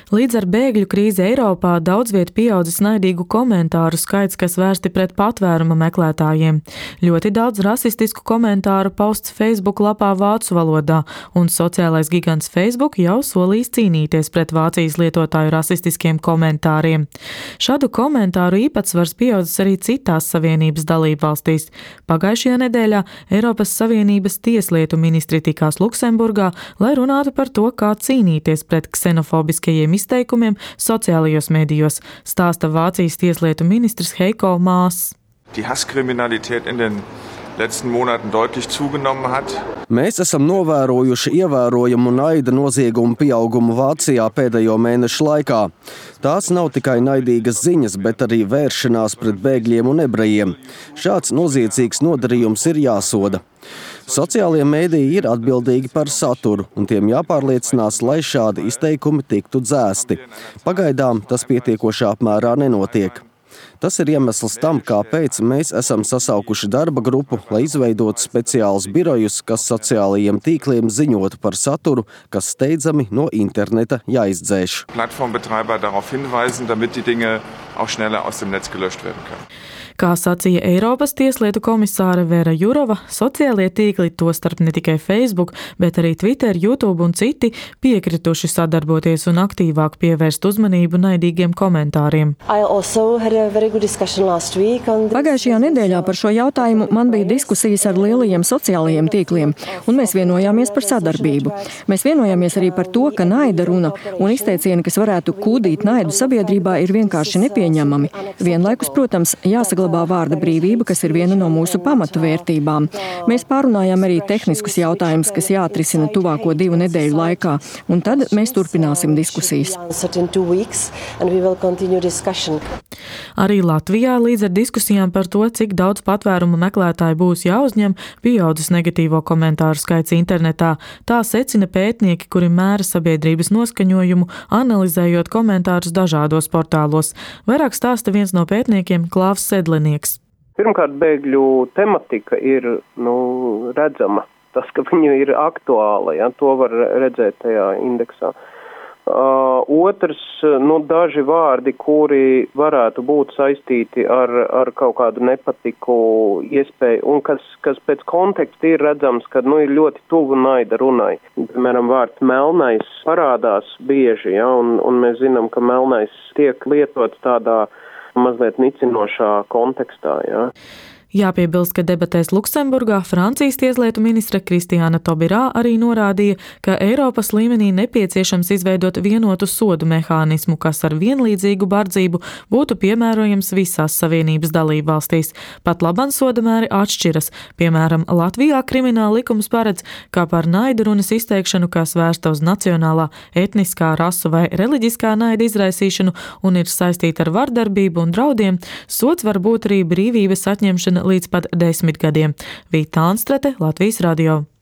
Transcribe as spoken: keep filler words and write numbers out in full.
Līdz ar bēgļu krīzi Eiropā daudz viet pieaudzis naidīgu komentāru skaits, kas vērsti pret patvēruma meklētājiem. Ļoti daudz rasistisku komentāru pausts Facebook lapā vācu valodā, un sociālais gigants Facebook jau solījis cīnīties pret Vācijas lietotāju rasistiskiem komentāriem. Šādu komentāru īpatsvars pieaudzis arī citās Savienības dalībvalstīs. Pagājušajā nedēļā Eiropas Savienības tieslietu ministri tikās Luksemburgā, lai runātu par to, kā cīnīties pret ksenofobiskajiem izteikumiem sociālajos medijos, stāsta Vācijas tieslietu ministrs Heiko Maas. Die Hasskriminalität in den letzten Monaten deutlich zugenommen hat. Mēs esam novērojuši ievērojamu naida noziegumu pieaugumu Vācijā pēdējo mēnešu laikā. Tās nav tikai naidīgas ziņas, bet arī vēršanās pret bēgļiem un ebrejiem. Šāds noziedzīgs nodarījums ir jāsoda. Sociālie mēdīji ir atbildīgi par saturu, un tiem jāpārliecinās, lai šādi izteikumi tiktu dzēsti. Pagaidām tas pietiekošā apmērā nenotiek. Tas ir iemesls tam, kāpēc mēs esam sasaukuši darba grupu, lai izveidotu speciālus birojus, kas sociālajiem tīkliem ziņotu par saturu, kas steidzami no interneta jāizdzēš. Plattformbetreiber darauf hinweisen, damit die Dinge auch schneller aus dem Netz gelöscht werden können. Kā sacīja Eiropas tieslietu komisāre Vera Jurova, sociālie tīkli, tostarp ne tikai Facebook, bet arī Twitter, YouTube un citi, piekrituši sadarboties un aktīvāk pievērst uzmanību naidīgiem komentāriem. Pagājušajā nedēļā par šo jautājumu man bija diskusijas ar lielajiem sociālajiem tīkliem, un mēs vienojāmies par sadarbību. Mēs vienojāmies arī par to, ka naida runa un izteicieni, kas varētu kūdīt naidu sabiedrībā, ir vienkārši nepieņemami. Vienlaikus, protams, jāsaglabā vārda brīvība, kas ir viena no mūsu pamatu vērtībām. Mēs pārunājām arī tehniskus jautājumus, kas jāatrisina tuvāko divu nedēļu laikā, un tad mēs turpināsim diskusijas. Arī Latvijā līdz ar diskusijām par to, cik daudz patvērumu meklētāju būs jāuzņem, pieaudzis negatīvo komentāru skaits internetā. Tā secina pētnieki, kuri mēra sabiedrības noskaņojumu, analizējot komentārus dažādos portālos. Vairāk stāsta viens no pētniekiem, Klāvs Sedlenieks. Pirmkārt, bēgļu tematika ir nu, redzama. Tas, ka viņa ir aktuāla, ja, to var redzēt tajā indeksā. Uh, otrs, nu, daži vārdi, kuri varētu būt saistīti ar, ar kaut kādu nepatiku iespēju, un kas, kas pēc konteksta ir redzams, ka nu, ir ļoti tuvu naida runai. Piemēram, vārds melnais parādās bieži, ja, un, un mēs zinām, ka melnais tiek lietots tādā mazliet nicinošā kontekstā. Ja. Jāpiebilst, ka debatēs Luksemburgā Francijas tieslietu ministre Kristiāna Tobirā arī norādīja, ka Eiropas līmenī nepieciešams izveidot vienotu sodu mehānismu, kas ar vienlīdzīgu bardzību būtu piemērojams visās Savienības dalībvalstīs. Pat laban sodamēri atšķiras. Piemēram, Latvijā krimināla likums paredz, ka par naidu runas izteikšanu, kas vērsta uz nacionālā, etniskā, rasu vai reliģiskā naida izraisīšanu un ir saistīta ar vardarbību un draudiem, sods var būt arī brīvības atņemšana līdz pat desmit gadiem. Vīta Anstrate, Latvijas radio.